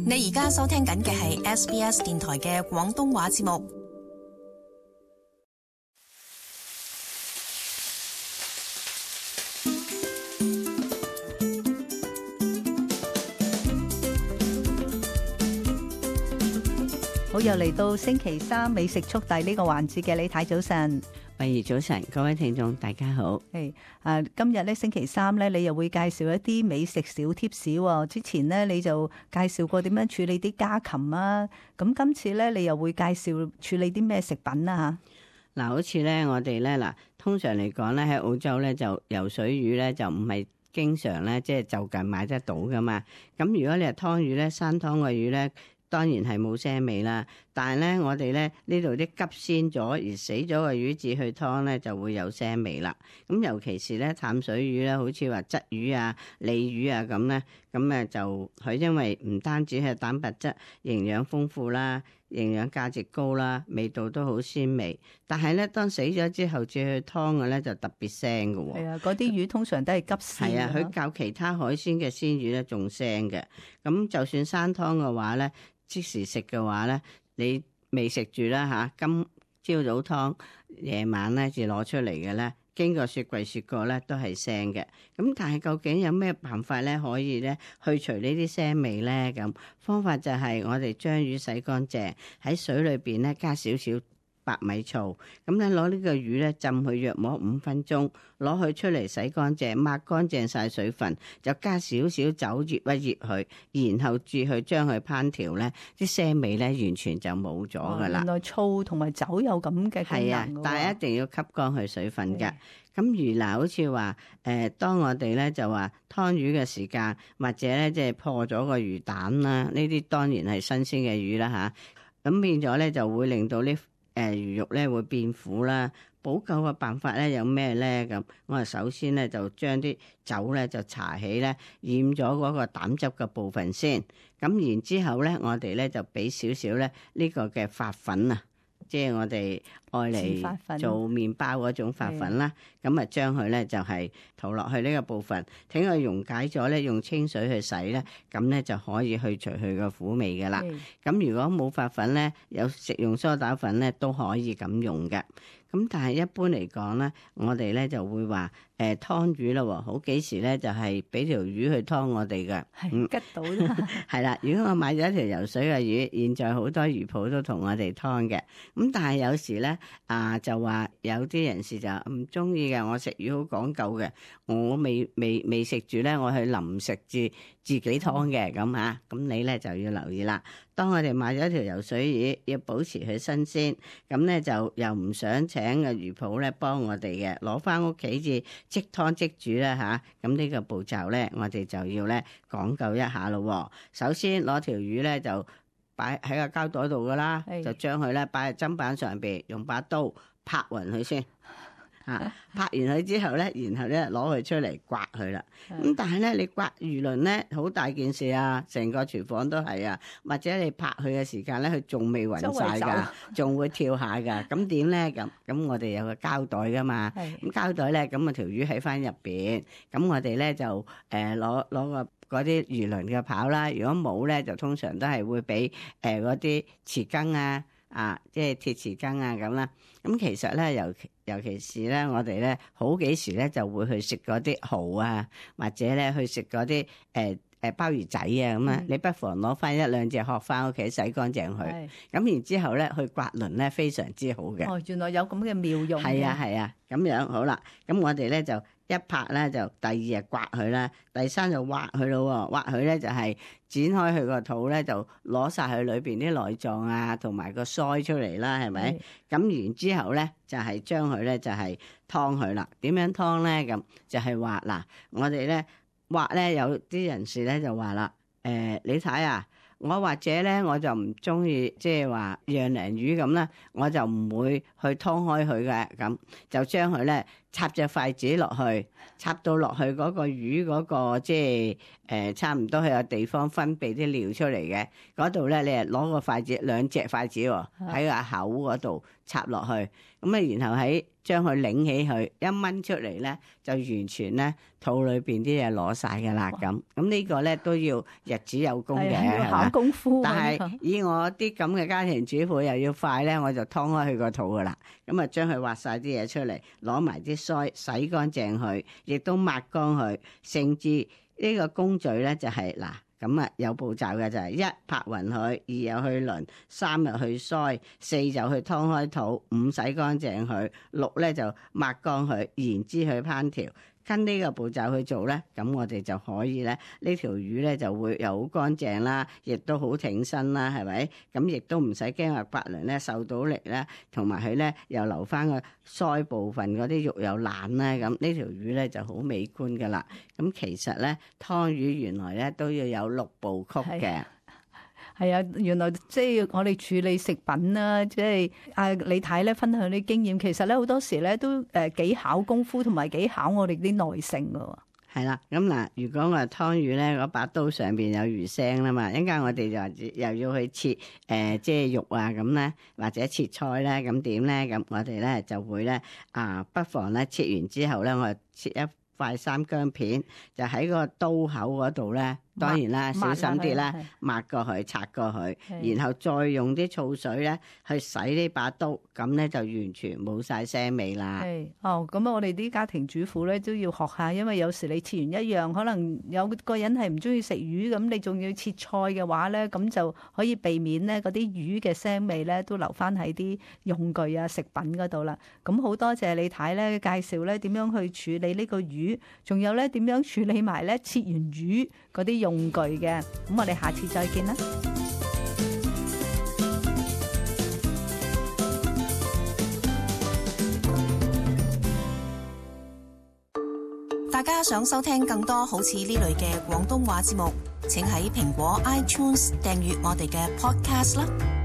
你而家收聽緊嘅係 SBS 電台嘅廣東話節目。好，又嚟到星期三美食速遞呢個環節嘅，李太早晨。慧怡早晨，各位聽眾大家好。今日咧星期三咧，你又會介紹一啲美食小貼士喎。之前咧你就介紹過點樣處理啲家禽啊，咁今次咧你又會介紹處理啲咩食品啊吓？嗱，好似咧我哋咧嗱，通常嚟講咧喺澳洲咧就游水魚咧就唔係經常咧即係就近買得到噶嘛。咁如果你係湯魚咧，生湯嘅魚咧，當然係冇腥味啦，但係咧我哋咧呢度啲急鮮咗而死咗嘅魚至去湯咧就會有腥味啦。咁尤其是咧淡水魚咧，好似話鯽魚啊、鯉魚啊咁咧，咁就佢因為唔單止係蛋白質營養豐富啦，營養價值高啦，味道都好鮮味，但係咧當死咗之後至去湯嘅咧就特別腥嘅喎。係啊，嗰啲魚通常都係急鮮。係啊，佢較其他海鮮嘅鮮魚咧仲腥嘅。咁就算生湯嘅話咧，即時食嘅話咧，你未食住啦吓，今朝早湯，夜晚咧至攞出嚟嘅咧，經過雪櫃雪過咧都係腥嘅。咁但係究竟有咩辦法咧可以咧去除呢啲腥味咧？咁方法就係我哋將魚洗乾淨，喺水裏邊咧加少少白米醋，咁咧攞呢個魚咧浸佢約摸5分鐘，攞佢出嚟洗乾淨，抹乾淨晒水分，就加少少酒醃一醃佢，然後至去將佢烹調咧，啲腥味咧完全就冇咗噶啦。原來醋同埋酒有咁嘅功能。係啊，但係一定要吸乾佢水分嘅。咁如嗱，好似話當我哋咧就話湯魚嘅時間，或者咧即係破咗個魚蛋啦，呢啲當然係新鮮嘅魚啦吓，咁變咗咧就會令到呢魚肉咧會變苦啦。補救嘅辦法咧有咩咧？咁我哋首先咧就將啲酒咧就搽起咧染咗嗰個膽汁嘅部分先，咁然之後咧我哋咧就俾少少咧呢個嘅發粉啊，即係我哋愛嚟做麵包嗰種發粉啦。咁啊將佢咧就係塗落去呢個部分，等佢溶解咗咧，用清水去洗咧，咁咧就可以去除佢個苦味噶啦。咁如果冇發粉咧，有食用梳打粉咧都可以咁用嘅。咁但係一般嚟講咧，我哋咧就會話湯魚啦，好幾時咧就係俾條魚去湯我哋嘅，吉到啦。係啦，如果我買咗一條游水嘅魚，現在好多魚鋪都同我哋湯嘅。咁但係有時咧就話有啲人士就唔中意嘅，我食魚好講究嘅，我未食住咧，我去臨食至自己湯嘅咁吓，咁你咧就要留意啦。當我哋買咗條游水魚，要保持佢新鮮，咁咧就又唔想請個魚鋪咧幫我哋嘅，攞翻屋企至即湯即煮啦吓。咁呢個步驟咧，我哋就要咧講究一下咯。首先攞條魚咧就擺喺個膠袋度噶啦，就將佢咧擺喺砧板上邊，用把刀拍勻佢先。拍完佢之後咧，然後咧攞佢出嚟刮佢啦。咁但係咧，你刮魚鱗咧好大件事啊，成個廚房都係啊。或者你拍佢嘅時間咧，佢仲未暈晒噶，仲會跳下噶。咁點咧？咁我哋有個膠袋噶嘛。咁膠袋咧，咁啊條魚喺翻入邊。咁我哋咧就攞個嗰啲魚鱗嘅刨啦。如果冇咧，就通常都係會俾嗰啲匙羹啊，即係鐵匙羹啊咁啦。咁其實咧，尤其是咧，我哋咧好幾時咧就會去食嗰啲蠔啊，或者咧去食嗰啲鮑魚仔啊咁啊。你不妨攞翻一兩隻殼翻屋企洗乾淨佢，咁然之後咧去刮鱗咧非常之好嘅。原來有咁嘅妙用。係啊，咁樣好啦。咁我哋咧就一拍咧就第二日刮佢啦，第3就挖佢咯。挖佢咧就係剪開佢個肚咧，就攞晒佢裏邊啲內臟啊，同埋個腮出嚟啦，係咪？咁然之後咧就係將佢咧就係湯佢啦。點樣湯咧？咁就係話嗱，我哋咧挖咧有啲人士咧就話啦，你睇啊。我或者咧，我就唔中意即係話釀鯪魚咁啦，我就唔會去湯開佢嘅，咁就將佢咧插隻筷子落去，插到落去嗰個魚嗰個即係差唔多係有地方分泌啲尿出嚟嘅嗰度咧，你係攞個筷子兩隻筷子喎，喺個口嗰度插落去，咁啊然後喺將佢擰起佢一掹出嚟咧，就完全咧肚裏邊啲嘢攞晒㗎啦咁。咁呢個咧都要日子有功嘅，要考功夫。但係以我啲咁嘅家庭主婦又要快咧，我就劏開佢個肚㗎啦。咁啊將佢挖晒啲嘢出嚟，攞埋啲腮洗乾淨佢，亦都抹乾佢，甚至呢個工序咧就係嗱。咁啊，有步驟嘅就係一拍勻佢，二又去鱗，三又去腮，四就去劏開肚，五洗乾淨佢，六咧就抹乾佢，然之去烹調。跟呢個步驟去做咧，咁我哋就可以咧，呢條魚咧就會又好乾淨啦，亦都好挺身啦，係咪？咁亦都唔使驚話刮鱗咧受到力咧，同埋佢咧又留翻個腮部分嗰啲肉又爛咧，咁呢條魚咧就好美觀噶啦。咁其實咧湯魚原來咧都要有6部曲嘅。係啊，原來即係我哋處理食品啦，即係李太咧分享啲經驗，其實咧好多時咧都幾考功夫，同埋幾考我哋啲耐性噶。係啦，咁嗱，如果我係湯魚咧，嗰把刀上邊有魚腥啦嘛，一陣間我哋就又要去切即係肉啊咁咧，或者切菜咧，咁點咧？咁我哋咧就會咧不妨咧切完之後咧，我切一塊三薑片，就喺個刀口嗰度咧。當然啦，小心啲啦，抹過去、擦過去，然後再用啲醋水咧去洗呢把刀，咁咧就完全冇晒腥味啦。係哦，咁我哋啲家庭主婦咧都要學下，因為有時你切完一樣，可能有個人係唔中意食魚，咁你仲要切菜嘅話咧，咁就可以避免咧嗰啲魚嘅腥味咧都留翻喺啲用具啊、食品嗰度啦。咁好多謝李太咧介紹咧點樣去處理呢個魚，仲有咧點樣處理埋咧切完魚嗰啲用具嘅，咁我哋下次再見啦。大家想收聽更多好似呢類嘅廣東話節目，請喺蘋果 iTunes 訂閱我哋嘅 Podcast 啦。